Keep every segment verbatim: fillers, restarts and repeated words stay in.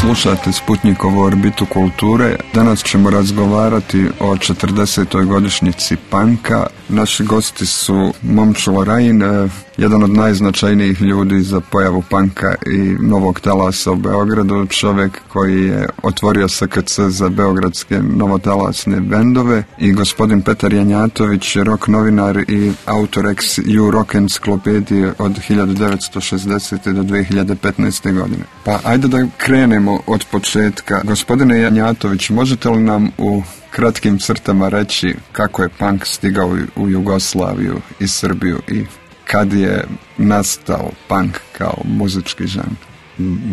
Slušate Sputnikovu orbitu kulture. Danas ćemo razgovarati o četrdesetoj godišnjici panka. Naši gosti su Momčilo Rajin, jedan od najznačajnijih ljudi za pojavu panka i novog talasa u Beogradu, čovjek koji je otvorio S K C za beogradske novotalasne bendove, i gospodin Petar Janjatović, rock novinar i autor ex ju rock enciklopedije od hiljadu devetsto šezdesete do dve hiljade petnaeste. godine. Pa ajde da krenemo od početka. Gospodine Janjatović, možete li nam u kratkim crtama reći kako je punk stigao u Jugoslaviju i Srbiju i kad je nastao punk kao muzički žanr?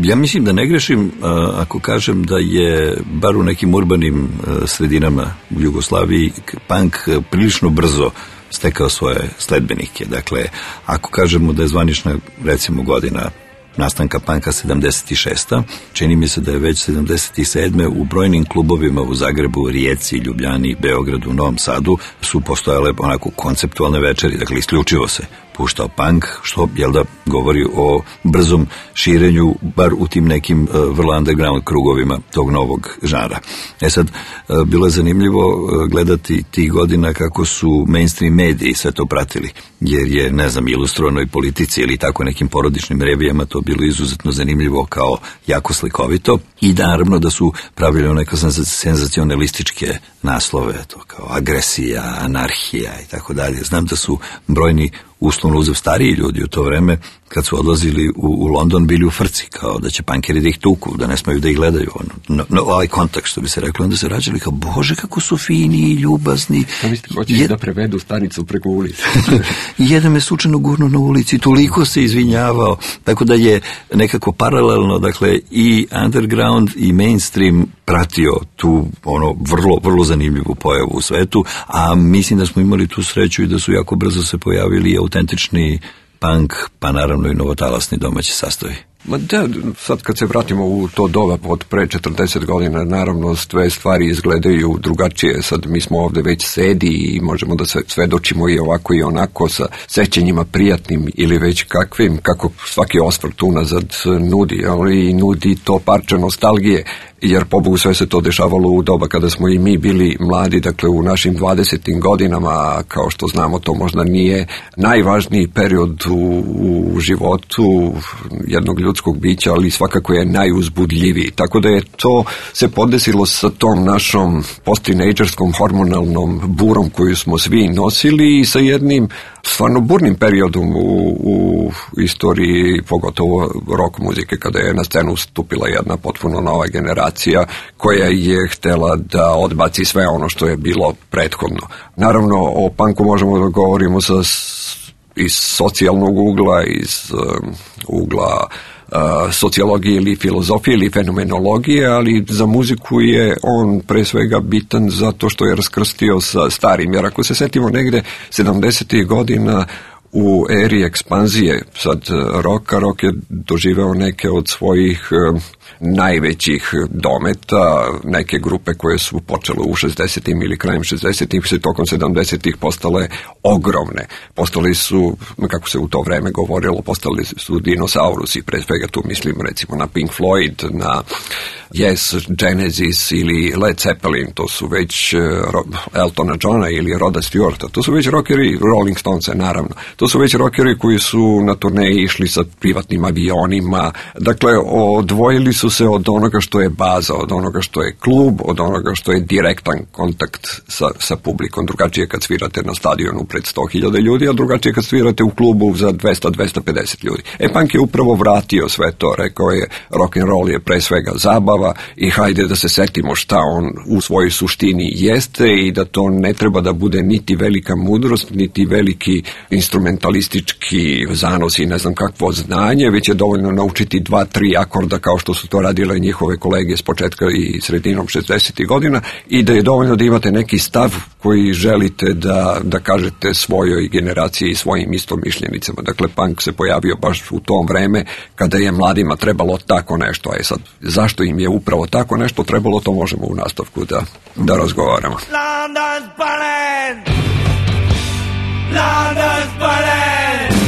Ja mislim da ne grešim ako kažem da je bar u nekim urbanim sredinama u Jugoslaviji punk prilično brzo stekao svoje sledbenike. Dakle, ako kažemo da je zvanična, recimo, godina nastanka panka sedamdeset šesta. Čini mi se da je već sedamdeset sedme u brojnim klubovima u Zagrebu, Rijeci, Ljubljani, Beogradu, Novom Sadu su postojale onako konceptualne večeri, dakle isključivo se puštao punk, što, jel da, govori o brzom širenju, bar u tim nekim uh, vrlo underground krugovima tog novog žanra. E sad, uh, bilo je zanimljivo uh, gledati tih godina kako su mainstream mediji sve to pratili, jer je, ne znam, Ilustrovanoj politici ili tako nekim porodičnim revijama to bilo izuzetno zanimljivo kao jako slikovito, i da, naravno, da su pravili neke senzacionalističke naslove, to kao agresija, anarhija i tako dalje. Znam da su brojni, uslovno uzev, stariji ljudi u to vreme, kad su odlazili u, u London, bili u frci, kao da će pankeri da ih tuku, da ne smaju da ih gledaju. Ono, no, no, ovaj kontakt, što bi se reklo, onda se rađali kao, bože, kako su fini i ljubazni. Da mislite, hoćeš je... da prevedu stanicu preko ulice. Jedan me slučajno gurno na ulici, toliko se izvinjavao, tako da je nekako paralelno, dakle, i underground i mainstream pratio tu, ono, vrlo, vrlo zanimljivu pojavu u svetu, a mislim da smo imali tu sreću i da su jako brzo se pojavili autentični punk, pa naravno i novotalasni domaći sastavi. Ma da, sad kad se vratimo u to doba od pre četrdeset godina, naravno sve stvari izgledaju drugačije. Sad mi smo ovde već sedi i možemo da se svedočimo i ovako i onako sa sećanjima prijatnim ili već kakvim, kako svaki osvrt unazad nudi, ali nudi to parče nostalgije, jer pobogu sve se to dešavalo u doba kada smo i mi bili mladi, dakle u našim dvadesetim godinama, kao što znamo, to možda nije najvažniji period u, u životu jednog ljudskog bića, ali svakako je najuzbudljiviji. Tako da je to se podesilo sa tom našom post-tinejdžerskom hormonalnom burom koju smo svi nosili i sa jednim stvarno burnim periodom u, u istoriji, pogotovo rock muzike, kada je na scenu stupila jedna potpuno nova generacija koja je htela da odbaci sve ono što je bilo prethodno. Naravno, o punku možemo da govorimo sa, iz socijalnog ugla, iz um, ugla Uh, sociologije ili filozofije ili fenomenologije, ali za muziku je on pre svega bitan zato što je raskrstio sa starim, jer ako se setimo negde sedamdesetih godina u eri ekspanzije sad roka, rok je doživeo neke od svojih uh, najvećih dometa, neke grupe koje su počele u šezdesetim ili krajem šezdesetih se tokom sedamdesetih postale ogromne. Postali su, kako se u to vreme govorilo, postali su dinosaurusi, pre svega tu mislim recimo na Pink Floyd, na Yes, Genesis ili Led Zeppelin, to su već uh, Eltona Johna ili Roda Stewarta, to su već rockeri, Rolling Stonesa naravno, to su već rockeri koji su na turneji išli sa privatnim avionima, dakle odvojili su se od onoga što je baza, od onoga što je klub, od onoga što je direktan kontakt sa, sa publikom. Drugačije kad svirate na stadionu pred sto hiljada ljudi, a drugačije kad svirate u klubu za dvesta do dvesta pedeset ljudi. E, punk je upravo vratio sve to, rekao je rock and roll je pre svega zabava i hajde da se setimo šta on u svojoj suštini jeste i da to ne treba da bude niti velika mudrost, niti veliki instrumentalistički zanos i ne znam kakvo znanje, već je dovoljno naučiti dva, tri akorda kao što su to radile njihove kolege s početka i sredinom šezdesetih godina i da je dovoljno da imate neki stav koji želite da, da kažete svojoj generaciji i svojim istomišljenicama. Dakle, punk se pojavio baš u tom vreme kada je mladima trebalo tako nešto. A je sad, zašto im je upravo tako nešto trebalo, to možemo u nastavku da, da razgovaramo. London's burning! London's burning!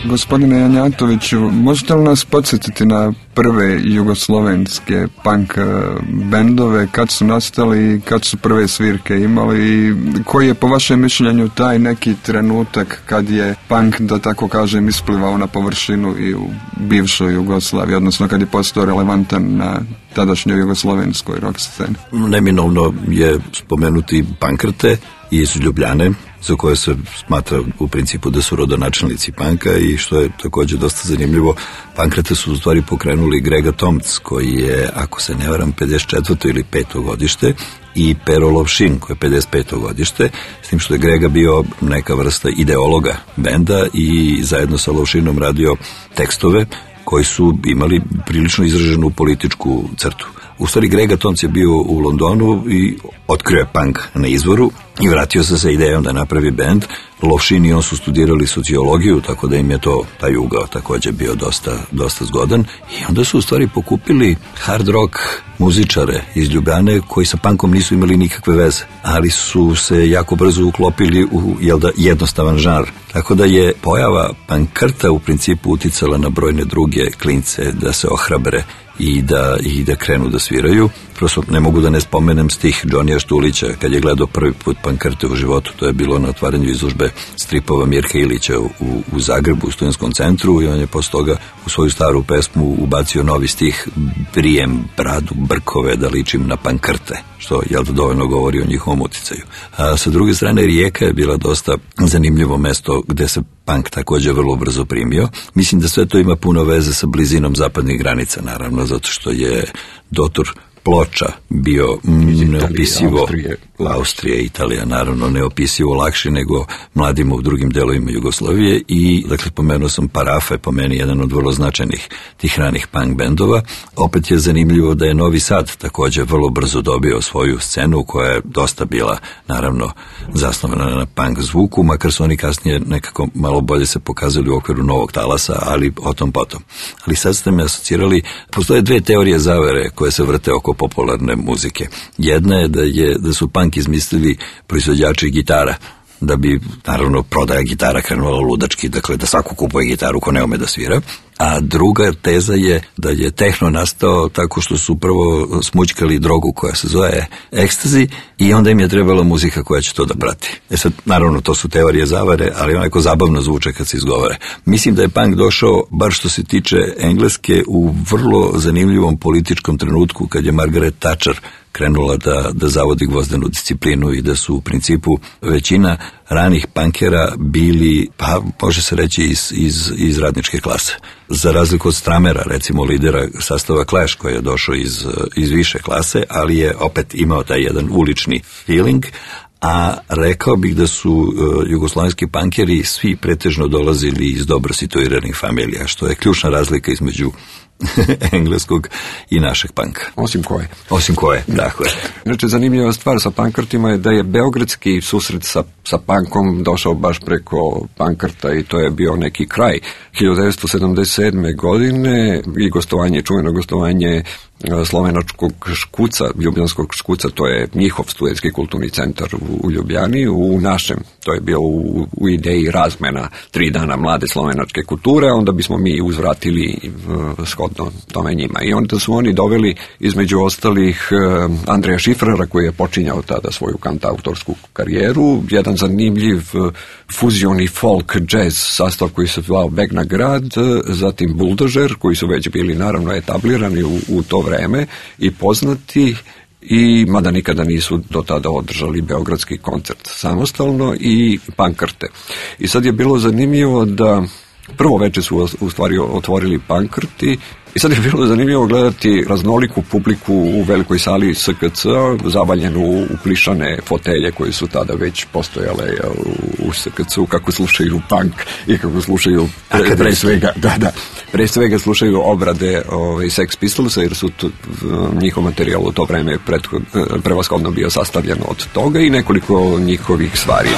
Gospodine Janjatoviću, možete li nas podsjetiti na prve jugoslovenske punk bendove, kad su nastali, kad su prve svirke imali i koji je po vašem mišljenju taj neki trenutak kad je punk, da tako kažem, isplivao na površinu i u bivšoj Jugoslaviji, odnosno kad je postao relevantan na tadašnjoj jugoslovenskoj rock sceni? Neminovno je spomenuti Pankrte iz Ljubljane, za koje se smatra u principu da su rodonačelnici panka, i što je također dosta zanimljivo, Pankrete su u stvari pokrenuli Grega Tomc, koji je, ako se ne varam, pedeset četvrto ili peto godište, i Pero Lovšin, koji je pedeset peto godište, s tim što je Grega bio neka vrsta ideologa benda i zajedno sa Lovšinom radio tekstove koji su imali prilično izraženu političku crtu. U stvari, Grega Tomc je bio u Londonu i otkrio je punk na izvoru i vratio se sa idejom da napravi bend. Lovšin i on su studirali sociologiju, tako da im je to, taj ugao također bio dosta, dosta zgodan. I onda su u stvari pokupili hard rock muzičare iz Ljubljane koji sa punkom nisu imali nikakve veze, ali su se jako brzo uklopili u, jel da, jednostavan žanr. Tako da je pojava Pankrta u principu uticala na brojne druge klince da se ohrabre i da, i da krenu da sviraju. Prosto ne mogu da ne spomenem stih Džonija Štulića kad je gledao prvi put Pankrte u životu. To je bilo na otvaranju izložbe stripova Mirka Ilića u, u Zagrebu, u Studentskom centru, i on je posle toga u svoju staru pesmu ubacio novi stih: brijem bradu brkove da ličim na Pankrte, što jel da dovoljno govori o njihovom uticaju. A sa druge strane, Rijeka je bila dosta zanimljivo mesto gde se punk također vrlo brzo primio. Mislim da sve to ima puno veze sa blizinom zapadnih granica, naravno, zato što je dotur Ploča bio mm, neopisivo, Austrije, Austrije, Italija, naravno, neopisivo lakše nego mladima u drugim delovima Jugoslavije. I, dakle, pomenuo sam Parafa, je po meni jedan od vrlo značajnih tih ranih punk bendova. Opet je zanimljivo da je Novi Sad također vrlo brzo dobio svoju scenu koja je dosta bila, naravno, zasnovana na punk zvuku, makar su oni kasnije nekako malo bolje se pokazali u okviru Novog talasa, ali o tom potom. Ali sad ste me asocirali, postoje dve teorije zavere koje se vrte oko popularne muzike. Jedna je da je da su punk izmislili proizvođači gitara, da bi, naravno, prodaja gitara krenula ludački, dakle da svako kupuje gitaru ko ne ume da svira. A druga teza je da je tehno nastao tako što su prvo smućkali drogu koja se zove ekstazi i onda im je trebala muzika koja će to da prati. E sad, naravno, to su teorije zavare, ali onako zabavno zvuče kad se izgovore. Mislim da je punk došao, bar što se tiče Engleske, u vrlo zanimljivom političkom trenutku kad je Margaret Thatcher krenula da, da zavodi gvozdenu disciplinu i da su u principu većina ranih punkera bili, pa može se reći, iz, iz, iz radničke klase. Za razliku od Stramera, recimo lidera sastava Clash, koji je došao iz, iz više klase, ali je opet imao taj jedan ulični feeling, a rekao bih da su uh, jugoslovenski punkeri svi pretežno dolazili iz dobro situiranih familija, što je ključna razlika između engleskog i našeg panka. Osim koje? Osim koje, dakle. Znači, zanimljiva stvar sa Pankrtima je da je beogradski susret sa, sa punkom došao baš preko Pankrta i to je bio neki kraj hiljadu devetsto sedamdeset sedme. godine i gostovanje, čuveno gostovanje slovenačkog Škuca, ljubljanskog Škuca, to je njihov studentski kulturni centar u, u Ljubljani, u našem, to je bio u, u ideji razmena tri dana mlade slovenačke kulture, onda bismo mi uzvratili uh, shodno tome njima. I onda su oni doveli, između ostalih, uh, Andreja Šifrera, koji je počinjao tada svoju kantautorsku karijeru, jedan zanimljiv uh, fuzioni folk jazz sastav koji se zvao Beg na grad, uh, zatim Buldožer, koji su već bili naravno etablirani u, u to vreme i poznati, i mada nikada nisu do tada održali beogradski koncert samostalno, i Pankrte. I sad je bilo zanimljivo da prvo veče su u stvari otvorili Pankrti i sad je bilo zanimljivo gledati raznoliku publiku u velikoj sali S K C-a, zavaljenu u plišane fotelje koje su tada već postojale u S K C-u, kako slušaju punk i kako slušaju pre, pre svega, da, da, pre svega slušaju obrade ovaj, Sex Pistolsa, jer su to, njihov materijal u to vreme prethod, prevashodno bio sastavljen od toga i nekoliko njihovih stvari.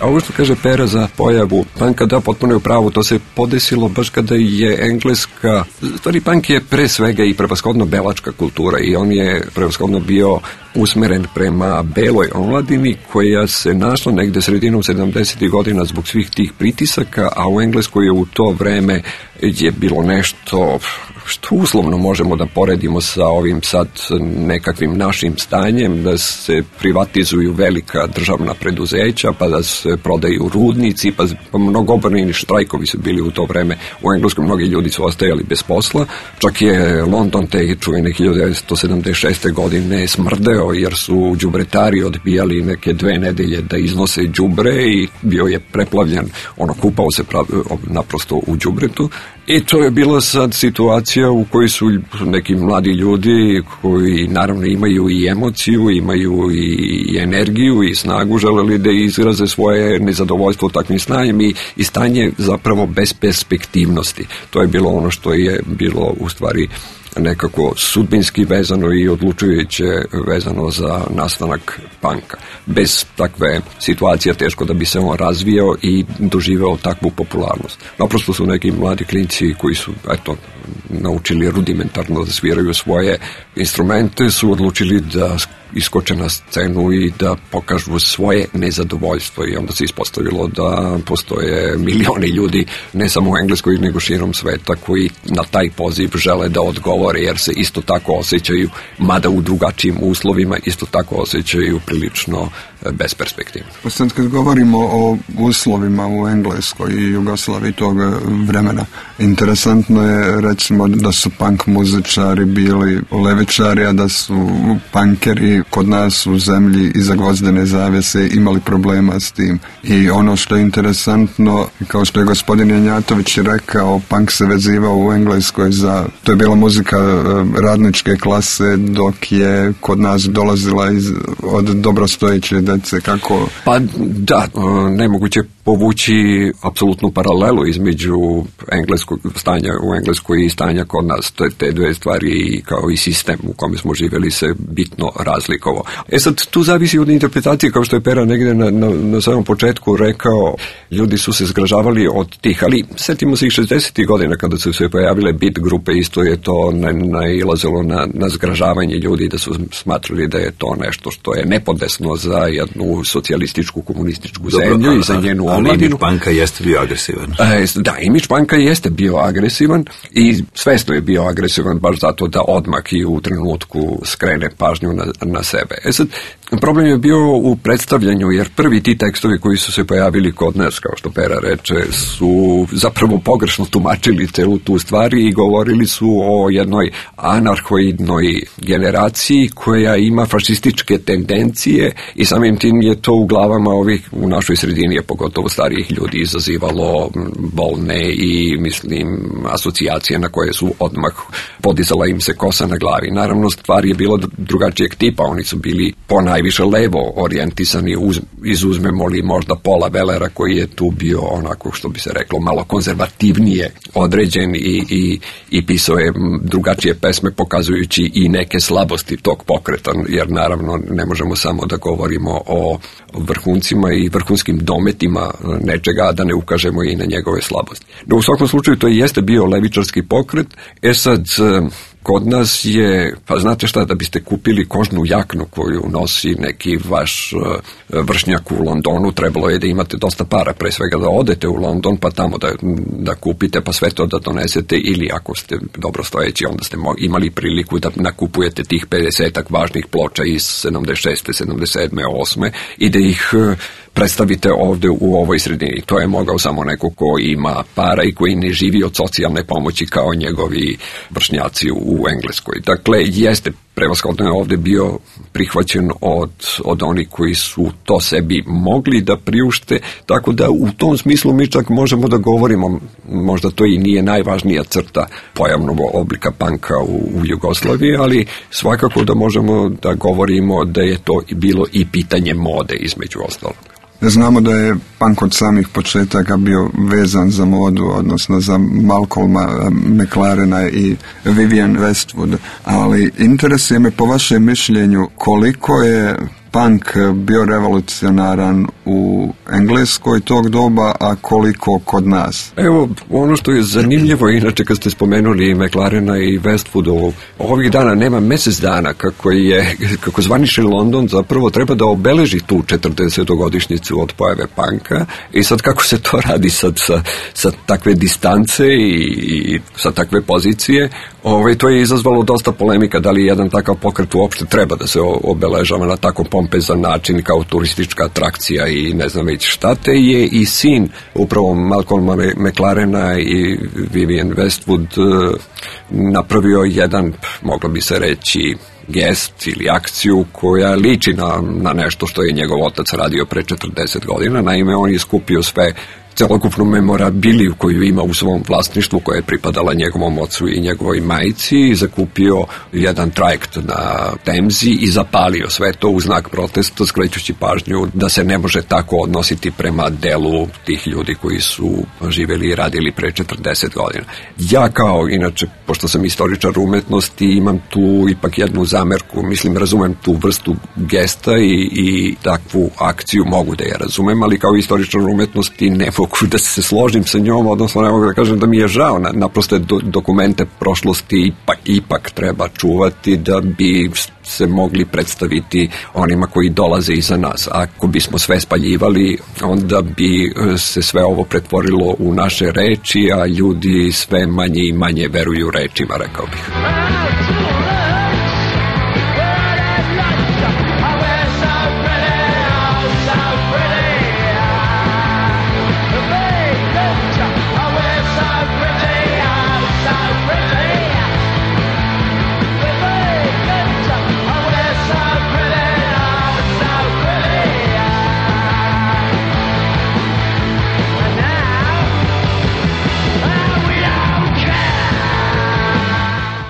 A ovo što kaže Pera za pojavu panka, da, potpuno je u pravu, to se podesilo baš kada je engleska, stvari punk je pre svega i prevashodno belačka kultura i on je prevashodno bio usmeren prema beloj omladini koja se našla negde sredinom sedamdesetih godina zbog svih tih pritisaka, a u Engleskoj je u to vreme je bilo nešto što uslovno možemo da poredimo sa ovim sad nekakvim našim stanjem, da se privatizuju velika državna preduzeća, pa da se prodaju rudnici, pa, pa mnogobrojni štrajkovi su bili u to vreme. U Engleskoj mnogi ljudi su ostajali bez posla, čak je London te čuvene hiljadu devetsto sedamdeset šeste godine smrdeo jer su đubretari odbijali neke dve nedelje da iznose đubre i bio je preplavljen, ono kupao se prav, naprosto u đubretu. I to je bila sad situacija u kojoj su neki mladi ljudi koji naravno imaju i emociju, imaju i energiju i snagu, želeli da izraze svoje nezadovoljstvo takvim stanjem i, i stanje zapravo bez perspektivnosti. To je bilo ono što je bilo u stvari nekako sudbinski vezano i odlučujuće vezano za nastanak panka. Bez takve situacije teško da bi se on razvijao i doživeo takvu popularnost. Naprosto su neki mladi klinci koji su, eto, naučili rudimentarno da sviraju svoje instrumente, su odlučili da iskoče na scenu i da pokažu svoje nezadovoljstvo i onda se ispostavilo da postoje milioni ljudi, ne samo u Engleskoj nego širom sveta, koji na taj poziv žele da odgovore jer se isto tako osjećaju, mada u drugačijim uslovima, isto tako osjećaju prilično besperspektivno. Pa sad kad govorimo o uslovima u Engleskoj i Jugoslaviji tog vremena, interesantno je recimo da su punk muzičari bili levičari, a da su punkeri kod nas u zemlji iza gvozdene zavjese imali problema s tim. I ono što je interesantno, kao što je gospodin Janjatović rekao, punk se vezivao u Engleskoj za, to je bila muzika radničke klase, dok je kod nas dolazila iz, od dobrostojeće dece, kako... Pa da, nemoguće povući apsolutnu paralelu između engleskog stanja u Engleskoj i stanja kod nas. To je te dve stvari kao i sistem u kome smo živjeli se bitno razlikovao. E sad, tu zavisi od interpretacije, kao što je Pera negdje na, na, na samom početku rekao, ljudi su se zgražavali od tih, ali setimo se i šezdesetih godina kada su se pojavile beat grupe, isto je to nailazilo na, na zgražavanje ljudi, da su smatrali da je to nešto što je nepodesno za jednu socijalističku, komunističku Dobro, zemlju a, i za njenu ali omladinu. imidž panka jeste bio agresivan. E, da, imidž panka jeste bio agresivan i svesno je bio agresivan baš zato da odmah i u trenutku skrene pažnju na, na sebe. E sad, problem je bio u predstavljanju, jer prvi ti tekstovi koji su se pojavili kod nas, kao što Pera reče, su zapravo pogrešno tumačili celu tu stvari i govorili su o jednoj anarhoidnoj generaciji koja ima fašističke tendencije i samim tim je to u glavama ovih u našoj sredini, je pogotovo starijih ljudi, izazivalo bolne i, mislim, asocijacije na koje su odmah podizala im se kosa na glavi. Naravno, stvar je bila drugačijeg tipa, oni su bili po najviše levo orijentisani, uz, izuzmemo li možda Paula Wellera koji je tu bio onako, što bi se reklo, malo konzervativnije određen i, i, i pisao je drugačije pesme pokazujući i neke slabosti tog pokreta, jer naravno ne možemo samo da govorimo o vrhuncima i vrhunskim dometima nečega, a da ne ukažemo i na njegove slabosti. No, u svakom slučaju to i jeste bio levičarski pokret. E sad, kod nas je, pa znate šta, da biste kupili kožnu jaknu koju nosi neki vaš vršnjak u Londonu, trebalo je da imate dosta para, pre svega da odete u London, pa tamo da, da kupite, pa sve to da donesete, ili ako ste dobro stojeći, onda ste imali priliku da nakupujete tih pedesetak važnih ploča iz sedamdeset šeste, sedamdeset sedme, osme i da ih predstavite ovde u ovoj sredini. To je mogao samo neko ko ima para i koji ne živi od socijalne pomoći kao njegovi vršnjaci u Engleskoj. Dakle, jeste prevashodno je ovde bio prihvaćen od, od onih koji su to sebi mogli da priušte, tako da u tom smislu mi čak možemo da govorimo, možda to i nije najvažnija crta pojavnog oblika panka u, u Jugoslaviji, ali svakako da možemo da govorimo da je to bilo i pitanje mode između ostalog. Znamo da je punk od samih početaka bio vezan za modu, odnosno za Malcolma McLarena i Vivienne Westwood, ali interesuje me po vašem mišljenju koliko je punk bio revolucionaran u Engleskoj tog doba, a koliko kod nas? Evo, ono što je zanimljivo, inače kad ste spomenuli McLarena i Westwoodu, ovih dana nema mjesec dana kako je, kako zvanični London zapravo treba da obeleži tu četrdesetogodišnjicu od pojave punka i sad kako se to radi sad sa, sa takve distance i, i sa takve pozicije, ovaj, to je izazvalo dosta polemika da li jedan takav pokret uopšte treba da se obeležava na tako pompezan način kao turistička atrakcija i ne znam već šta. Te je i sin upravo Malcolma McLarena i Vivienne Westwood napravio jedan, moglo bi se reći, gest ili akciju koja liči na, na nešto što je njegov otac radio pre četrdeset godina. Naime, on je skupio sve celokupnu memorabiliju koju ima u svom vlasništvu, koja je pripadala njegovom ocu i njegovoj majici, zakupio jedan trajekt na Temzi i zapalio sve to u znak protesta, skrećući pažnju da se ne može tako odnositi prema delu tih ljudi koji su živjeli i radili pre četrdeset godina. Ja kao, inače, pošto sam istoričar umetnosti, imam tu ipak jednu zamerku, mislim, razumem tu vrstu gesta i, i takvu akciju mogu da je razumem, ali kao istoričar umetnosti ne mogu da se složim sa njom, odnosno ne mogu da kažem da mi je žao, naprosto do, dokumente prošlosti ipak, ipak treba čuvati da bi se mogli predstaviti onima koji dolaze iza nas. Ako bismo sve spaljivali, onda bi se sve ovo pretvorilo u naše reči, a ljudi sve manje i manje veruju rečima, rekao bih.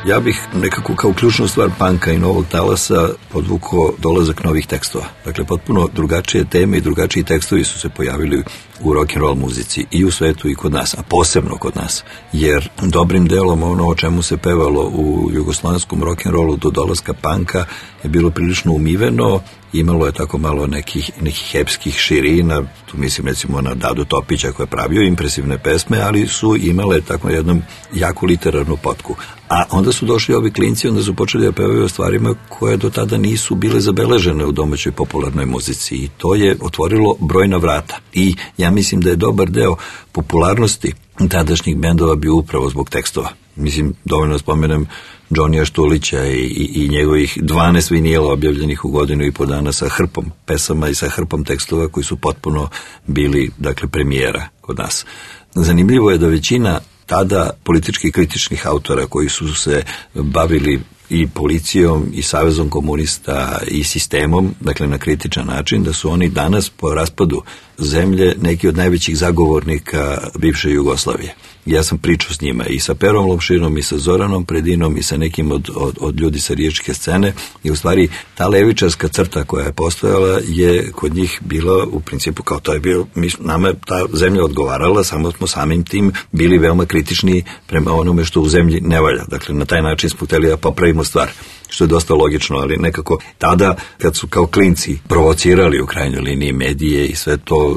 Ja bih nekako kao ključnu stvar punka i novog talasa podvukao dolazak novih tekstova. Dakle, potpuno drugačije teme i drugačiji tekstovi su se pojavili u rock and roll muzici i u svetu i kod nas, a posebno kod nas. Jer dobrim delom ono o čemu se pevalo u jugoslavenskom rock and rollu do dolaska punka je bilo prilično umiveno, imalo je tako malo nekih, nekih epskih širina, tu mislim recimo na Dadu Topića koji je pravio impresivne pesme, ali su imale tako jednom jaku literarnu potku. A onda su došli ovi klinci, onda su počeli da pevaju o stvarima koje do tada nisu bile zabeležene u domaćoj popularnoj muzici i to je otvorilo brojna vrata. I ja mislim da je dobar deo popularnosti tadašnjih bendova bio upravo zbog tekstova. Mislim, dovoljno spomenem Johnnyja Štulića i, i, i njegovih dvanaest vinila objavljenih u godinu i po dana sa hrpom pesama i sa hrpom tekstova koji su potpuno bili, dakle, premijera kod nas. Zanimljivo je da većina tada politički kritičnih autora koji su se bavili i policijom i savezom komunista i sistemom, dakle na kritičan način, da su oni danas po raspadu zemlje neki od najvećih zagovornika bivše Jugoslavije. Ja sam pričao s njima i sa Perom Lopšinom i sa Zoranom Predinom i sa nekim od, od, od ljudi sa riječke scene i u stvari ta levičarska crta koja je postojala je kod njih bila u principu kao to je bilo, mi, nama je ta zemlja odgovarala, samo smo samim tim bili veoma kritični prema onome što u zemlji ne valja. Dakle, na taj način smo hteli da popravimo stvar, što je dosta logično, ali nekako tada kad su kao klinci provocirali u krajnjoj liniji medije i sve to,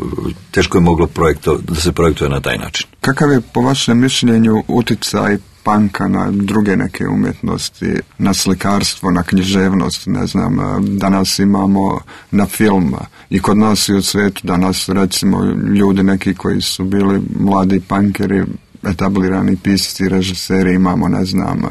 teško je moglo projekto, da se projektuje na taj način. Kakav je po vašem mišljenju uticaj panka na druge neke umjetnosti, na slikarstvo, na književnost, ne znam, danas imamo na film i kod nas i u svijetu, danas recimo ljudi neki koji su bili mladi pankeri, etablirani pisci, režiseri, imamo, ne znam,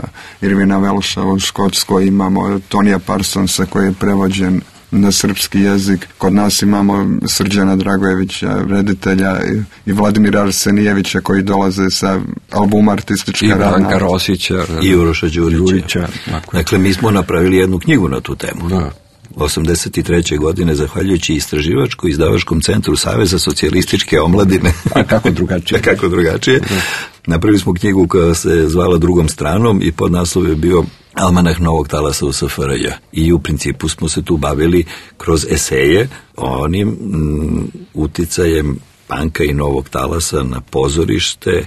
Irvina Welša u Škotskoj, imamo Tonija Parsonsa koji je prevođen na srpski jezik, kod nas imamo Srđana Dragojevića, reditelja i, i Vladimira Arsenijevića koji dolaze sa albuma Artistička rana. I Branka Rosića. I Uroša Đurića. Đurića. Dakle, mi smo napravili jednu knjigu na tu temu. Da. osamdeset treće godine, zahvaljujući istraživačko izdavačkom centru Saveza socijalističke omladine. A kako drugačije? A kako drugačije? Da. Napravili smo knjigu koja se zvala Drugom stranom i podnaslov je bio Almanah novog talasa u S F R J. I u principu smo se tu bavili kroz eseje onim m, uticajem panka i novog talasa na pozorište,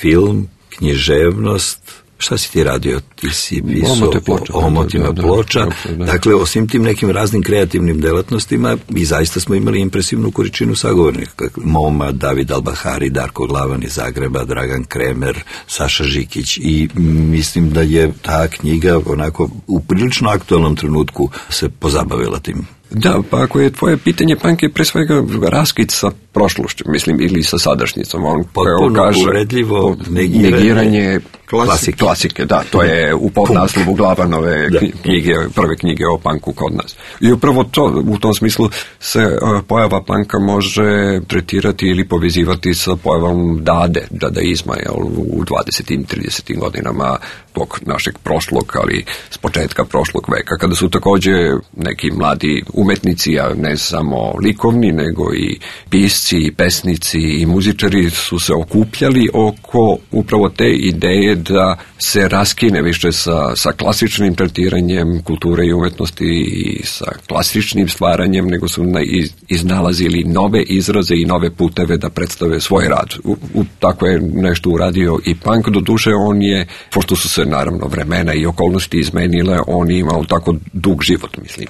film, književnost, Šta si ti radio? Ti si pisao Omote ploča, o omotima da, da, ploča. da, da. Dakle, osim tim nekim raznim kreativnim delatnostima, mi zaista smo imali impresivnu količinu sagovornika. Moma, David Albahari, Darko Glavan iz Zagreba, Dragan Kremer, Saša Žikić. I mislim da je ta knjiga onako u prilično aktualnom trenutku se pozabavila tim. Da, pa ako je tvoje pitanje, punk je pre svega raskid sa prošlošću, mislim, ili sa sadašnjicom. On potpuno kaže, uvredljivo negiranje, negiranje klasike. klasike. Da, to je u podnaslovu Glavanove da. knjige, prve knjige o punku kod nas. I upravo to, u tom smislu se uh, pojava punka može tretirati ili povezivati sa pojavom dade, dadaizma, jel, u dvadesetim i tridesetim godinama tog našeg prošlog, ali s početka prošlog veka, kada su takođe neki mladi umetnici, a ne samo likovni, nego i pisci, i pesnici i muzičari su se okupljali oko upravo te ideje da se raskine više sa, sa klasičnim tretiranjem kulture i umetnosti i sa klasičnim stvaranjem, nego su na, iz, iznalazili nove izraze i nove puteve da predstave svoj rad. U, u, tako je nešto uradio i punk, do duše on je, pošto su se naravno vremena i okolnosti izmenile, on je imao tako dug život, mislim.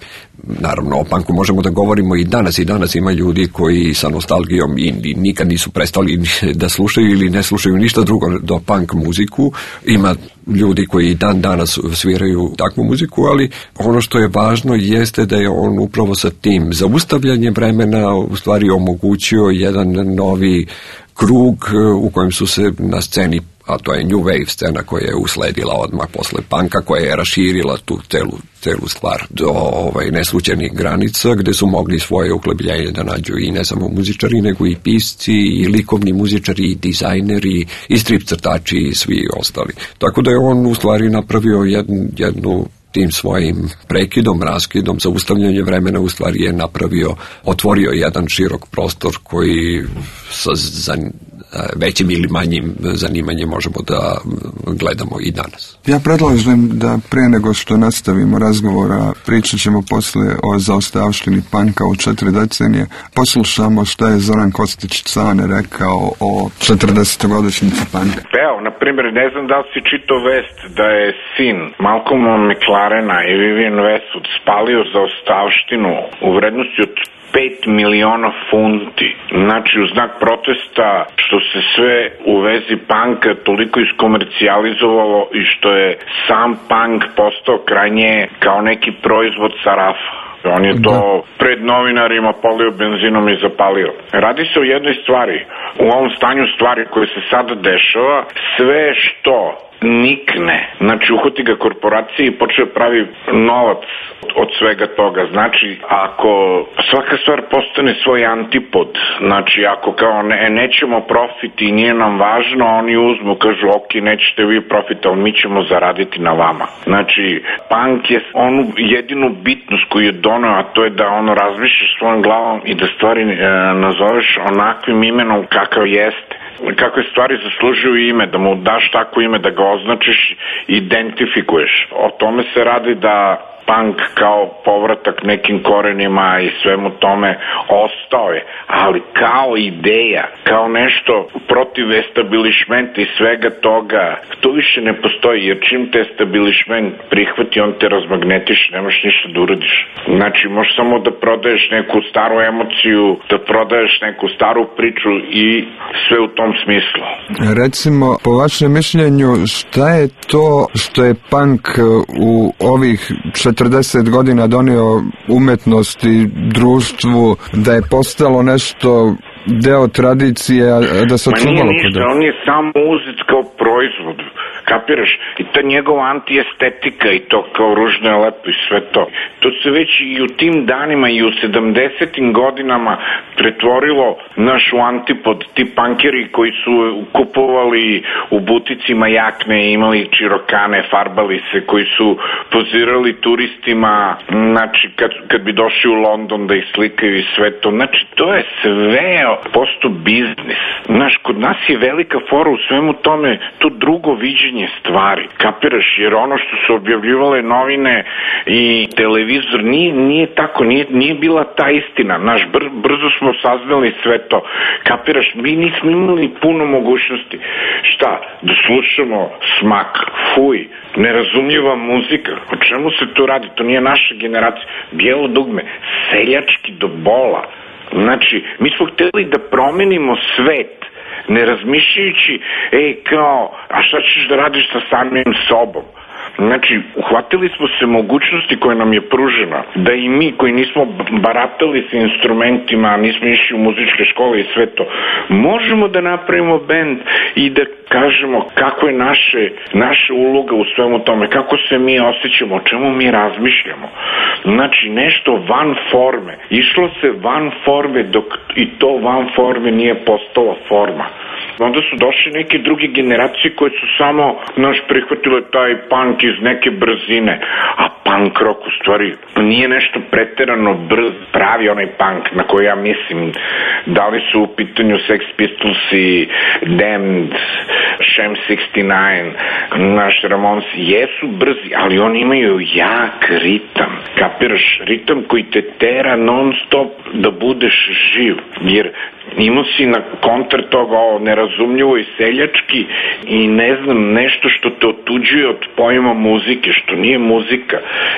Naravno, o punku možemo da govorimo i danas, i danas ima ljudi koji sa nostalgijom i, i nikad nisu prestali da slušaju ili ne slušaju ništa drugo do punk muziku. Ima ljudi koji dan danas sviraju takvu muziku, ali ono što je važno jeste da je on upravo sa tim zaustavljanjem vremena u stvari omogućio jedan novi krug u kojem su se na sceni, a to je New Wave scena koja je usledila odmah posle punka, koja je raširila tu celu, celu stvar do ovaj, neslućenih granica, gde su mogli svoje uklebljenje da nađu i ne samo muzičari, nego i pisci, i likovni muzičari, i dizajneri, i strip crtači, i svi ostali. Tako da je on u stvari napravio jednu, jednu tim svojim prekidom, raskidom, zaustavljanje vremena u stvari je napravio, otvorio jedan širok prostor koji sa za većim ili manjim zanimanjem možemo da gledamo i danas. Ja predlažem da pre nego što nastavimo razgovora, pričat ćemo posle o zaostavštini panka u četiri decenije. Poslušamo šta je Zoran Kostić-Cane rekao o četrdesetogodišnjici panka. Evo, na primjer, ne znam da li si čitao vest da je sin Malcolma McLarena i Vivian Westwood spalio zaostavštinu u vrednosti od pet miliona funti. Znači, u znak protesta što se sve u vezi panka toliko iskomercijalizovalo i što je sam punk postao krajnje kao neki proizvod sa rafa. On je to pred novinarima polio benzinom i zapalio. Radi se o jednoj stvari. U ovom stanju stvari koje se sada dešava, sve što nikne, znači uhoti ga korporacije i počne pravi novac od svega toga. Znači, ako svaka stvar postane svoj antipod, znači ako kao ne, nećemo profit i nije nam važno, oni uzmu, kažu ok, nećete vi profit, ali mi ćemo zaraditi na vama. Znači, punk je onu jedinu bitnost koju je doneo, a to je da ono razmišljaš svojom glavom i da stvari e, nazoveš onakvim imenom kakav jeste. Kakve stvari zaslužuju ime, da mu daš tako ime, da ga označiš, identifikuješ. O tome se radi da punk kao povratak nekim korenima i svemu tome ostao je, ali kao ideja, kao nešto protiv establishmenta i svega toga, to više ne postoji, jer čim te establishment prihvati, on te razmagnetiš, nemaš ništa da uradiš. Znači, možeš samo da prodaješ neku staru emociju, da prodaješ neku staru priču i sve u tom smislu. Recimo, po vašem mišljenju, šta je to što je punk u ovih četrdeset godina donio umetnosti, društvu, da je postalo nešto deo tradicije, da se očuvalo? Ma nije ništa, on je samo uzet kao proizvod, kapiraš? I ta njegova antiestetika i to kao ružno je lepo i sve to. To se već i u tim danima i u sedamdesetim godinama pretvorilo naš u antipod, ti pankeri koji su kupovali u buticima jakne, imali čirokane, farbali se, koji su pozirali turistima, znači kad, kad bi došli u London da ih slikaju i sve to. Znači to je sve posto biznis. Znaš, kod nas je velika fora u svemu tome to drugo viđenje stvari. Kapiraš, jer ono što su objavljivale novine i televizor nije, nije tako, nije, nije bila ta istina. Naš br, brzo smo saznali sve to. Kapiraš, mi nismo imali puno mogućnosti. Šta? Da slušamo smak, fuj, nerazumljiva muzika. O čemu se to radi? To nije naša generacija. Bijelo dugme, seljački do bola. Znači, mi smo hteli da promenimo svet, ne razmišljajući, ej, kao, a šta ćeš da radiš sa samim sobom? Znači, uhvatili smo se mogućnosti koje nam je pružena, da i mi koji nismo baratali sa instrumentima, nismo išli u muzičke škole i sve to, možemo da napravimo bend i da kažemo kako je naše, naša uloga u svemu tome, kako se mi osjećamo, o čemu mi razmišljamo. Znači, nešto van forme. Išlo se van forme dok i to van forme nije postala forma. Onda su došli neke druge generacije koje su samo, naš, prihvatile taj punk iz neke brzine, a punk rock u stvari nije nešto preterano brz, pravi onaj punk na koji ja mislim, da li su u pitanju Sex Pistols i Damned, Sham šezdeset devet, naš Ramones, jesu brzi, ali oni imaju jak ritam, kapiraš, ritam koji te tera non stop da budeš živ, jer imao si na kontra toga o nerazumljivo i seljački i ne znam, nešto što te otuđuje od pojma muzike, što nije muzika,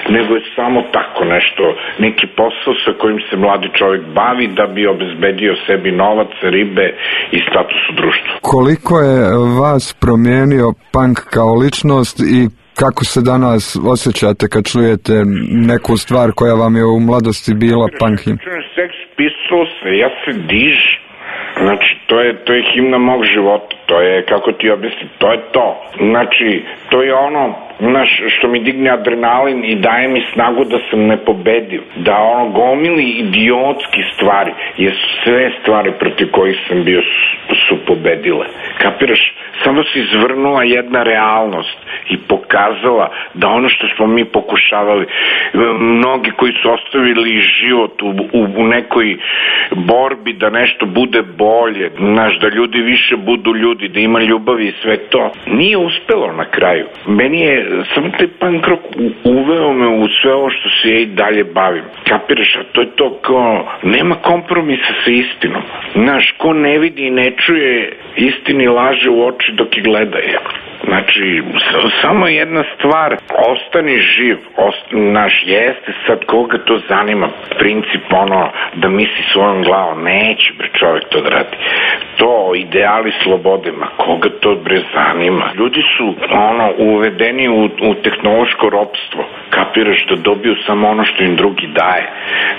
nego je samo tako nešto, neki posao sa kojim se mladi čovjek bavi da bi obezbedio sebi novac, ribe i status u društvu. Koliko je vas promijenio punk kao ličnost i kako se danas osjećate kad čujete neku stvar koja vam je u mladosti bila punk him? Sex Pistols, ja se diž. Znači, to je, to je himna mog života, to je, kako ti objasnim, to je to. Znači, to je ono, znaš, što mi digne adrenalin i daje mi snagu da sam nepobediv, da ono, gomili idiotski stvari, jer sve stvari protiv kojih sam bio su, su pobedile. Kapiraš? Samo se izvrnula jedna realnost i pokazala da ono što smo mi pokušavali, mnogi koji su ostavili život u, u, u nekoj borbi da nešto bude bolje, znaš, da ljudi više budu ljudi, da ima ljubavi i sve to, nije uspelo na kraju. Meni je samo taj punk rock uveo me u sve ovo što se ja i dalje bavim. Kapiraš, a to je to kao, nema kompromisa sa istinom. Znaš, ko ne vidi i ne čuje istini laže u oči dok je gleda je. Znači, samo jedna stvar, ostani živ, ost, naš jeste, sad koga to zanima, princip ono, da misli svojom glavom, neće bre čovjek to da radi. To, ideali slobode, ma koga to bre zanima. Ljudi su, ono, uvedeni u, u tehnološko ropstvo, kapiraš, da dobiju samo ono što im drugi daje,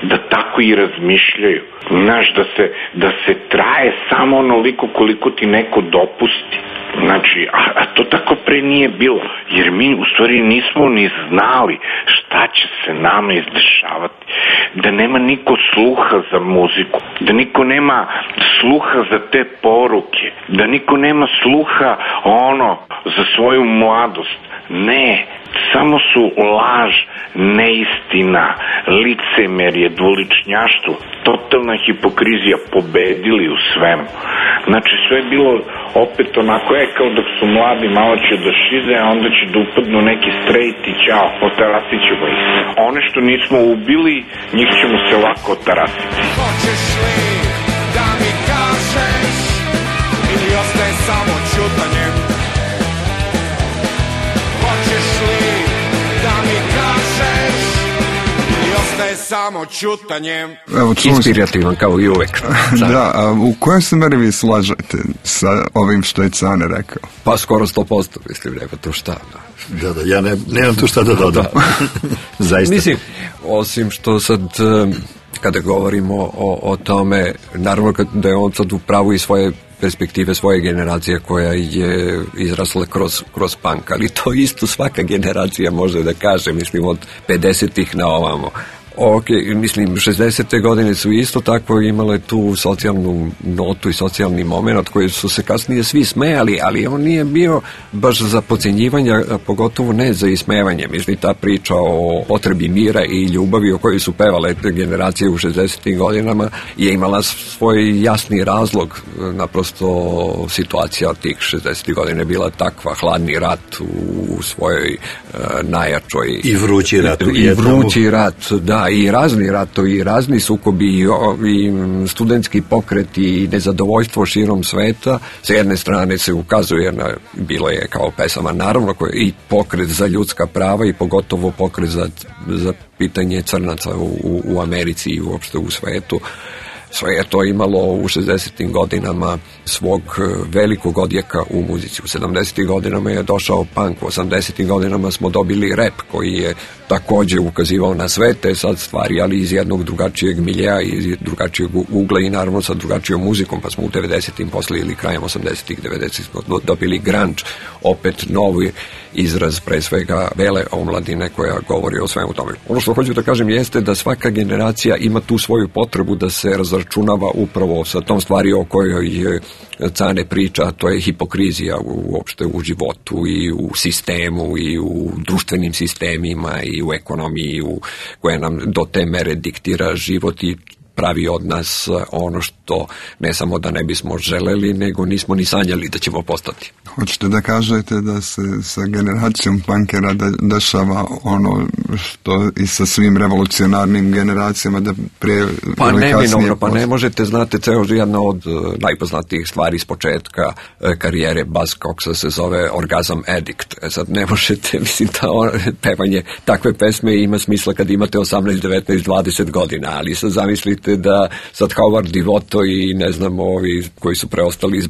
da tako i razmišljaju, znaš, da se, da se traje samo onoliko koliko ti neko dopusti. Znači, a, a to tako pre nije bilo, jer mi u stvari nismo ni znali šta će se nama izdešavati, da nema niko sluha za muziku, da niko nema sluha za te poruke, da niko nema sluha ono za svoju mladost. Ne, samo su laž, neistina, licemerje, dvoličnjaštvo, totalna hipokrizija pobedili u svemu. Znači, sve je bilo opet onako, je kao dok su mladi, malo će da šize, a onda će da upadnu neki straight i ćao, otarasit ćemo ih. One što nismo ubili, njih ćemo se lako otarasiti. Hoćeš li da mi kažeš ili ostaje samo čutanjem? Hoćeš li da mi kažeš ili ostaje samo čutanjem? Evo, inspirativan kao i uvek. Da, a u kojoj se meri vi slažete sa ovim što je Cane rekao? Pa skoro sto posto, mislim, nema tu šta. Da, da, ja ne, nemam tu šta da dodam. Zaista. Mislim, osim što sad, kada govorimo o, o tome, naravno da je on sad u pravu i svoje perspektive svoje generacije koja je izrasla kroz, kroz punk, ali to isto svaka generacija može da kaže, mislim, od pedesetih na ovamo. Ok, mislim, šezdesete godine su isto tako imale tu socijalnu notu i socijalni moment koji su se kasnije svi smejali, ali on nije bio baš za podcjenjivanje, a pogotovo ne za ismevanje. Mislim, ta priča o potrebi mira i ljubavi o kojoj su pevale generacije u šezdesetim godinama je imala svoj jasni razlog. Naprosto situacija tih šezdesetih godina je bila takva, hladni rat u svojoj uh, najjačoj... I vrući rat. I, i vrući rat, da, i razni ratovi, i razni sukobi, i, i studentski pokret i nezadovoljstvo širom sveta. Sa jedne strane se ukazuje na, bilo je kao pesama, naravno, koje, i pokret za ljudska prava i pogotovo pokret za, za pitanje crnaca u, u, u Americi i uopšte u svetu. Sve je to imalo u šezdesetim godinama svog velikog odjeka u muzici. U sedamdesetim godinama je došao punk, u osamdesetim godinama smo dobili rap koji je takođe ukazivao na sve te sad stvari, ali iz jednog drugačijeg miljeja, iz drugačijeg ugla i naravno sa drugačijom muzikom, pa smo u devedesetim posle ili krajem osamdesetih, devedesetih smo dobili grunge, opet novi izraz pre svega bele omladine koja govori o svemu tome. Ono što hoću da kažem jeste da svaka generacija ima tu svoju potrebu da se razračunava upravo sa tom stvari o kojoj je Cane priča, to je hipokrizija uopšte u životu i u sistemu i u društvenim sistemima i u ekonomiji u, koje nam do te mere diktira život i pravi od nas ono što ne samo da ne bismo želeli, nego nismo ni sanjali da ćemo postati. Hoćete da kažete da se sa generacijom punkera de, dešava ono što i sa svim revolucionarnim generacijama da prije pa ili kasnije... Neminovno, pa ne možete, znate, ceo jedna od uh, najpoznatijih stvari s početka uh, karijere Buzz Coxa se zove Orgasm Addict. E sad ne možete, mislim, ta on, pevanje takve pesme ima smisla kad imate osamnaest, devetnaest, dvadeset godina, ali sad zamislite da sad Howard Devoto i ne znam ovi koji su preostali iz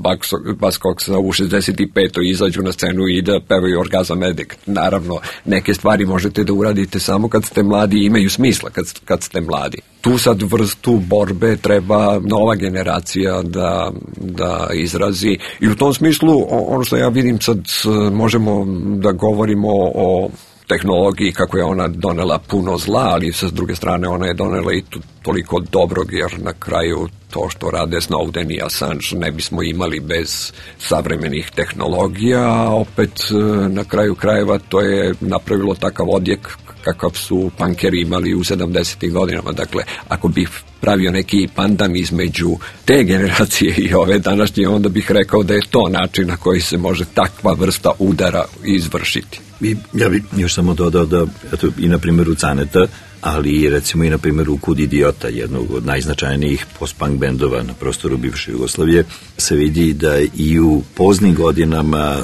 Buzz Coxa u šezdeset petoj izađu na scenu i da pevaju Orgasm Addict. Naravno, neke stvari možete da uradite samo kad ste mladi i imaju smisla kad, kad ste mladi. Tu sad vrstu borbe treba nova generacija da, da izrazi i u tom smislu ono što ja vidim sad možemo da govorimo o tehnologiji, kako je ona donela puno zla, ali sa druge strane ona je donela i tu toliko dobrog, jer na kraju to što rade Snowden i Assange ne bismo imali bez savremenih tehnologija, a opet na kraju krajeva to je napravilo takav odjek kakav su punkeri imali u sedamdesetim godinama. Dakle, ako bih pravio neki pandan između te generacije i ove današnje, onda bih rekao da je to način na koji se može takva vrsta udara izvršiti. I ja bih još samo dodao da, eto, i na primjeru Caneta, ali recimo i na primjeru Kud idiota, jednog od najznačajnijih post-punk bendova na prostoru bivše Jugoslavije, se vidi da i u poznim godinama,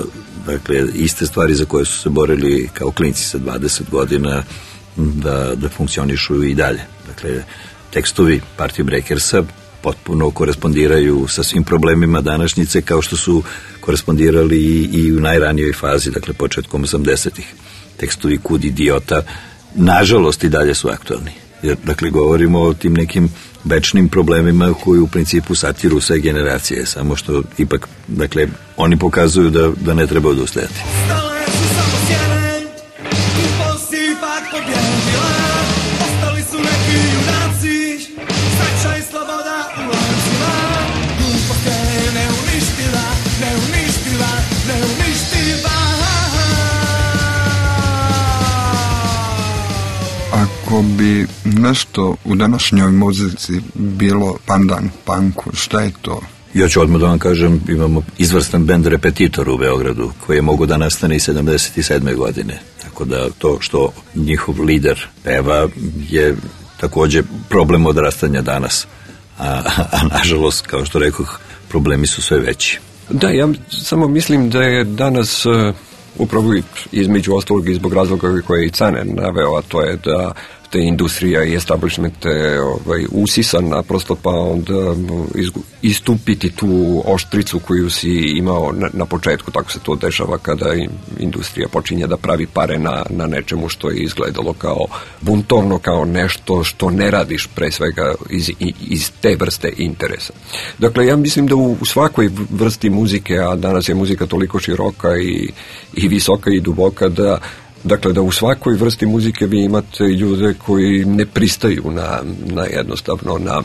dakle, iste stvari za koje su se borili kao klinci sa dvadeset godina, da, da funkcionišu i dalje. Dakle, tekstovi Party Breakersa potpuno korespondiraju sa svim problemima današnjice, kao što su korespondirali i, i u najranijoj fazi, dakle početkom osamdesetih. Tekstovi Kud idiota, nažalost, i dalje su aktualni. Jer, dakle, govorimo o tim nekim večnim problemima koji u principu satiru sve generacije, samo što ipak, dakle, oni pokazuju da, da ne treba odustajati. Ako bi nešto u današnjoj muzici bilo pandan punku, šta je to? Ja ću odmah da vam kažem, imamo izvrstan bend Repetitor u Beogradu, koji je mogo da nastane i sedamdeset sedme godine. Tako da to što njihov lider peva je takođe problem odrastanja danas. A, a nažalost, kao što rekoh, problemi su sve veći. Da, ja samo mislim da je danas... Uh... upravo između ostalog i zbog razloga koje je i Cane naveo, a to je da te industrija i establishment ovaj, usisan naprosto, pa onda istupiti tu oštricu koju si imao na, na početku. Tako se to dešava kada industrija počinje da pravi pare na, na nečemu što je izgledalo kao buntovno, kao nešto što ne radiš pre svega iz, iz te vrste interesa. Dakle, ja mislim da u, u svakoj vrsti muzike, a danas je muzika toliko široka i, i visoka i duboka, da Dakle, da u svakoj vrsti muzike vi imate ljude koji ne pristaju na, na jednostavno na,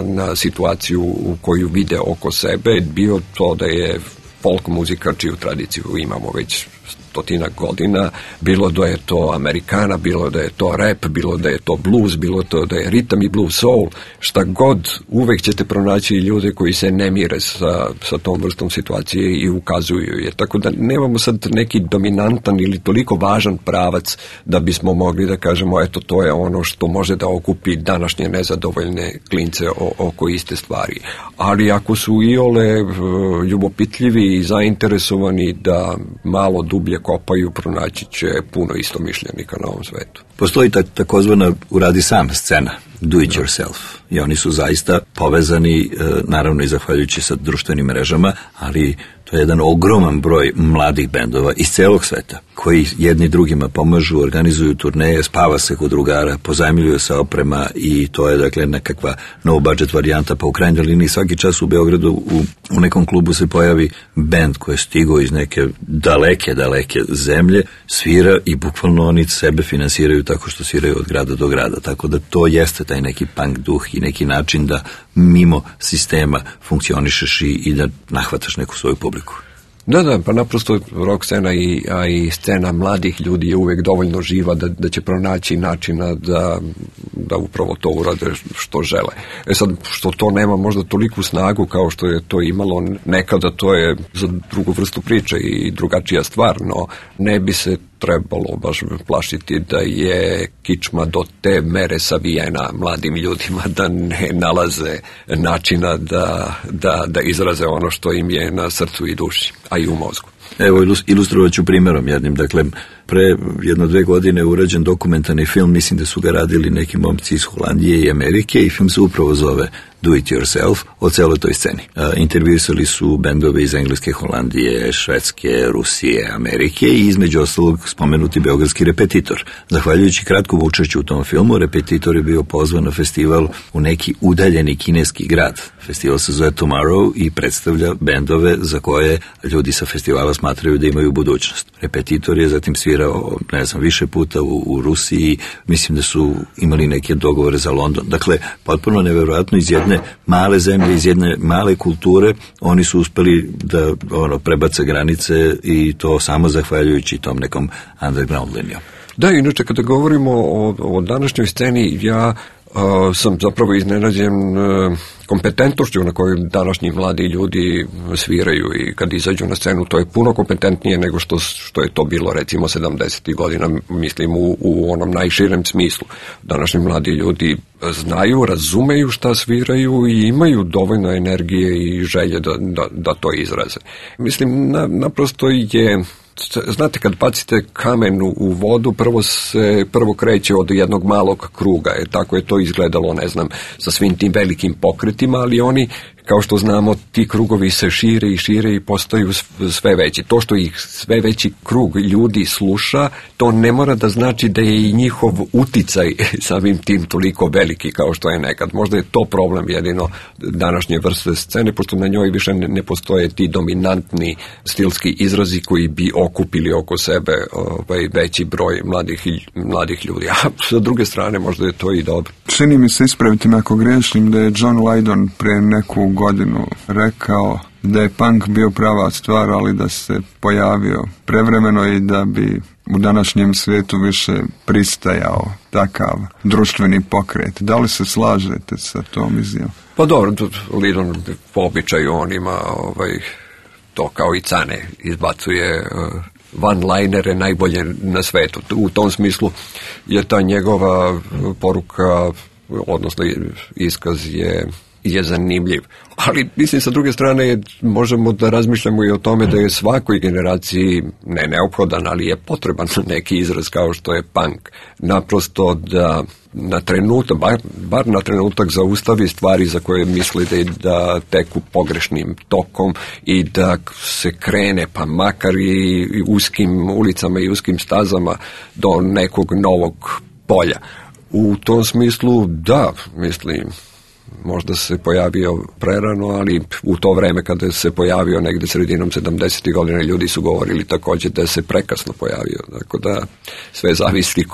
na situaciju u koju vide oko sebe, bio to da je folk muzika, čiju tradiciju imamo već stotina godina, bilo da je to Amerikana, bilo da je to rap, bilo da je to blues, bilo to da je ritam i blues soul, šta god, uvek ćete pronaći ljude koji se ne mire sa, sa tom vrstom situacije i ukazuju je. Tako da nemamo sad neki dominantan ili toliko važan pravac da bismo mogli da kažemo eto to je ono što može da okupi današnje nezadovoljne klince o, oko iste stvari. Ali ako su iole ljubopitljivi i zainteresovani da malo dublje kopaju, pronaći će puno istomišljenika na ovom svetu. Postoji ta, takozvana uradi sam scena, do it yourself. I oni su zaista povezani, naravno i zahvaljujući sa društvenim mrežama, ali to je jedan ogroman broj mladih bendova iz celog sveta, koji jedni drugima pomažu, organizuju turneje, spava se kod drugara, pozajmljuju se oprema i to je dakle nekakva no budget varijanta, pa u krajnjoj liniji svaki čas u Beogradu u, u nekom klubu se pojavi bend koji je stigao iz neke daleke, daleke zemlje, svira i bukvalno oni sebe finansiraju tako što sviraju od grada do grada, tako da to jeste taj neki punk duh i neki način da mimo sistema funkcionišeš i, i da nahvataš neku svoju publiku. Da, da, pa naprosto rock scena i, a i scena mladih ljudi je uvek dovoljno živa da, da će pronaći načina da, da upravo to urade što žele. E sad, što to nema možda toliku snagu kao što je to imalo nekada, to je za drugu vrstu priče i drugačija stvar, no ne bi se trebalo baš plašiti da je kičma do te mere savijena mladim ljudima da ne nalaze načina da, da, da izraze ono što im je na srcu i duši, a i u mozgu. Evo, ilustrovat ću primjerom jednim. Dakle, pre jedno dve godine je urađen dokumentarni film, mislim da su ga radili neki momci iz Holandije i Amerike i film se upravo zove Do It Yourself, o celoj toj sceni. A, intervjuisali su bendove iz Engleske, Holandije, Švedske, Rusije, Amerike i između ostalog spomenuti beogradski Repetitor. Zahvaljujući kratkom učešću u tom filmu, Repetitor je bio pozvan na festival u neki udaljeni kineski grad. Festival se zove Tomorrow i predstavlja bendove za koje ljudi sa festivala smatraju da imaju budućnost. Repetitor je zatim svirao, ne znam, više puta u, u Rusiji, mislim da su imali neke dogovore za London. Dakle, potpuno neverovatno iz jedne male zemlje, iz jedne male kulture, oni su uspeli da ono, prebace granice i to samo zahvaljujući tom nekom underground linijom. Da, inače kada govorimo o, o današnjoj sceni, ja uh, sam zapravo iznenađen uh, kompetentnošću na kojoj današnji mladi ljudi sviraju i kad izađu na scenu, to je puno kompetentnije nego što, što je to bilo recimo sedamdesetih godina, mislim u, u onom najširem smislu. Današnji mladi ljudi znaju, razumeju šta sviraju i imaju dovoljno energije i želje da, da, da to izraze. Mislim, na, naprosto je... Znate, kad bacite kamen u vodu, prvo se prvo kreće od jednog malog kruga. E, tako je to izgledalo, ne znam, sa svim tim velikim pokretima, ali oni, kao što znamo, ti krugovi se šire i šire i postaju sve veći. To što ih sve veći krug ljudi sluša, to ne mora da znači da je i njihov uticaj samim tim toliko veliki kao što je nekad. Možda je to problem jedino današnje vrste scene, pošto na njoj više ne postoje ti dominantni stilski izrazi koji bi okupili oko sebe ovaj, veći broj mladih, mladih ljudi. A sa druge strane možda je to i dobro. Čini mi se, ispraviti me ako grešim, da je John Lydon pre neku godinu rekao da je punk bio prava stvar, ali da se pojavio prevremeno i da bi u današnjem svijetu više pristajao takav društveni pokret. Da li se slažete sa tom izjavom? Pa dobro, Lydon po običaju on ima ovaj, to kao i Cane, izbacuje uh, one-linere najbolje na svetu. U tom smislu je ta njegova poruka, odnosno iskaz je je zanimljiv. Ali, mislim, sa druge strane možemo da razmišljamo i o tome da je svakoj generaciji ne neophodan, ali je potreban neki izraz kao što je punk. Naprosto da na trenutak, bar, bar na trenutak zaustavi stvari za koje misli da, da teku pogrešnim tokom i da se krene, pa makar i uskim ulicama i uskim stazama do nekog novog polja. U tom smislu, da, mislim, možda se pojavio prerano, ali u to vreme kada se pojavio negde sredinom sedamdesetih godina, ljudi su govorili takođe da se prekasno pojavio. Tako da sve zavisi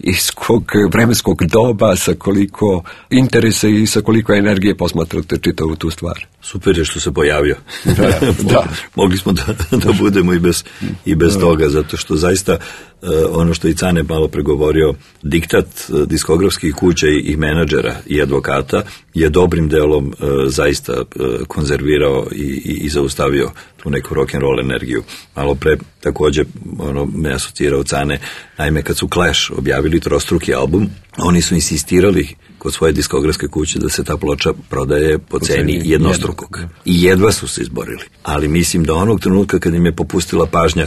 iz kog vremenskog doba, sa koliko interesa i sa koliko energije posmatrate čitavu tu stvar. Super je što se pojavio. Da, da. Mogli smo da, da budemo i bez, i bez da. toga, zato što zaista uh, ono što i Cane malo pregovorio, diktat uh, diskografskih kuća i, i menadžera i advokata je dobrim delom uh, zaista uh, konzervirao i, i, i zaustavio tu neku rock'n'roll energiju. Malo pre takođe ono, me asocirao Cane, naime kad su Clash objavili trostruki album, oni su insistirali kod svoje diskografske kuće da se ta ploča prodaje po ceni jednostrukog. I jedva su se izborili. Ali mislim da onog trenutka kad im je popustila pažnja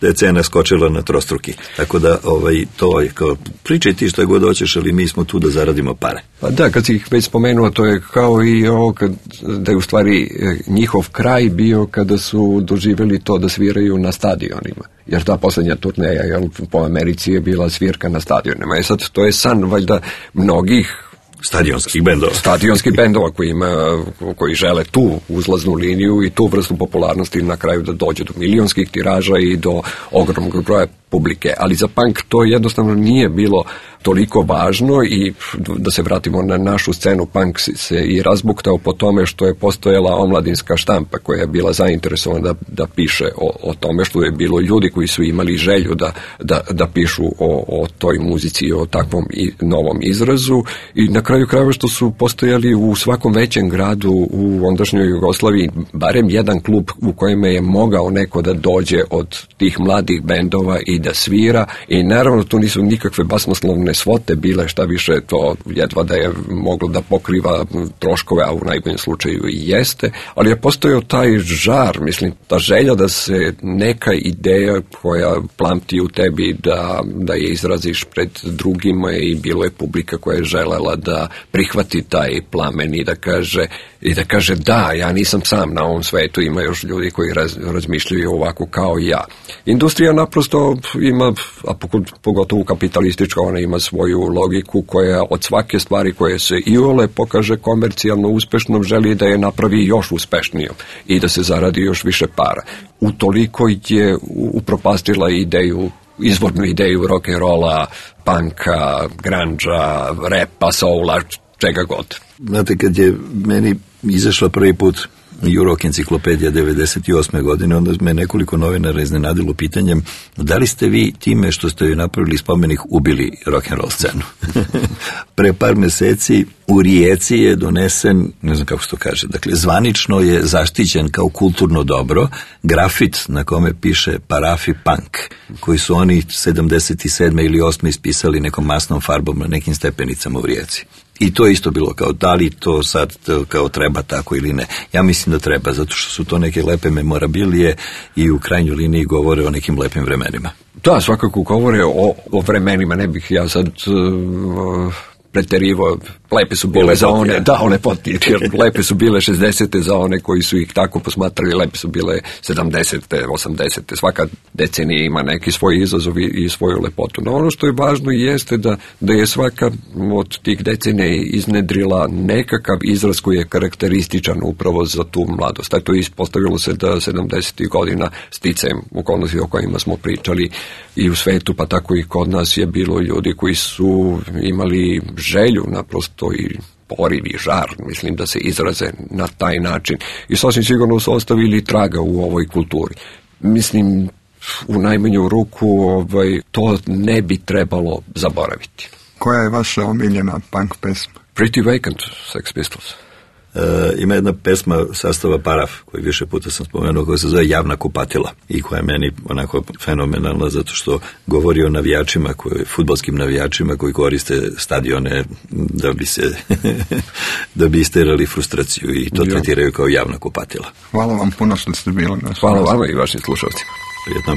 da je cena skočila na trostruki. Tako da ovaj, to je kao pričaj ti što je god hoćeš, ali mi smo tu da zaradimo pare. Pa da, kad si ih već spomenuo, to je kao i ovo kad, da je u stvari njihov kraj bio kada su doživjeli to da sviraju na stadionima. Jer ta posljednja turneja jel, po Americi je bila svirka na stadionima. I sad to je san valjda mnogih stadionskih bendova. Stadionskih bendova koji, ima, koji žele tu uzlaznu liniju i tu vrstu popularnosti na kraju da dođe do milionskih tiraža i do ogromnog broja publike. Ali za punk to jednostavno nije bilo toliko važno i da se vratimo na našu scenu, punk se i razbuktao po tome što je postojala omladinska štampa koja je bila zainteresovana da, da piše o, o tome, što je bilo ljudi koji su imali želju da, da, da pišu o, o toj muzici i o takvom i novom izrazu i na kraju krajeva što su postojali u svakom većem gradu u ondašnjoj Jugoslaviji barem jedan klub u kojem je mogao neko da dođe od tih mladih bendova i da svira i naravno tu nisu nikakve basnoslovne svote bile, šta više to jedva da je moglo da pokriva troškove, a u najboljem slučaju i jeste, ali je postojao taj žar, mislim, ta želja da se neka ideja koja plamti u tebi da, da je izraziš pred drugima i bilo je publika koja je želela da prihvati taj plamen i da kaže, i da kaže da, ja nisam sam na ovom svetu, ima još ljudi koji raz, razmišljaju ovako kao i ja. Industrija naprosto ima, a pogotovo kapitalistička, ona ima svoju logiku koja od svake stvari koje se iole pokaže komercijalno uspešnom želi da je napravi još uspešnijom i da se zaradi još više para. Utoliko je upropastila ideju, izvornu ideju rock'n'rolla, punka, grunge-a, repa, soula, čega god. Znate, kad je meni izašla prvi put Rock enciklopedija devedeset osme godine, onda me nekoliko novinara iznenadilo pitanjem da li ste vi time što ste joj napravili spomenik ubili rock'n'roll scenu. Pre par meseci u Rijeci je donesen, ne znam kako se to kaže, dakle zvanično je zaštićen kao kulturno dobro grafit na kome piše Parafi Punk, koji su oni sedamdeset sedme ili osme ispisali nekom masnom farbom na nekim stepenicama u Rijeci. I to je isto bilo kao, da li to sad kao treba tako ili ne. Ja mislim da treba, zato što su to neke lepe memorabilije i u krajnjoj liniji govore o nekim lepim vremenima. Da, svakako govore o, o vremenima, ne bih ja sad uh, preterivo, lepe su bile za one, ja. da, one poti, lepe su bile šezdesete za one koji su ih tako posmatrali, lepe su bile sedamdesete, osamdesete, svaka decenija ima neki svoj izazov i svoju lepotu. No ono što je važno jeste da, da je svaka od tih decenija iznedrila nekakav izraz koji je karakterističan upravo za tu mladost. Eto, ispostavilo se da sedamdesetih godina sticajem okolnosti o kojima smo pričali i u svetu, pa tako i kod nas je bilo ljudi koji su imali želju naprosto i poriv i žar, mislim, da se izraze na taj način. I sasvim sigurno su ostavili traga u ovoj kulturi. Mislim, u najmanju ruku ovaj, to ne bi trebalo zaboraviti. Koja je vaša omiljena punk pesma? Pretty Vacant, Sex Pistols. E, ima jedna pesma sastava Paraf, koju više puta sam spomenuo, koja se zove Javna kupatila i koja je meni onako fenomenalna zato što govori o navijačima, koji, fudbalskim navijačima koji koriste stadione da bi se da bi isterali frustraciju i to tretiraju kao javna kupatila. Hvala vam puno što ste bili naš. Hvala vama i vašim slušalcima. Prijetno.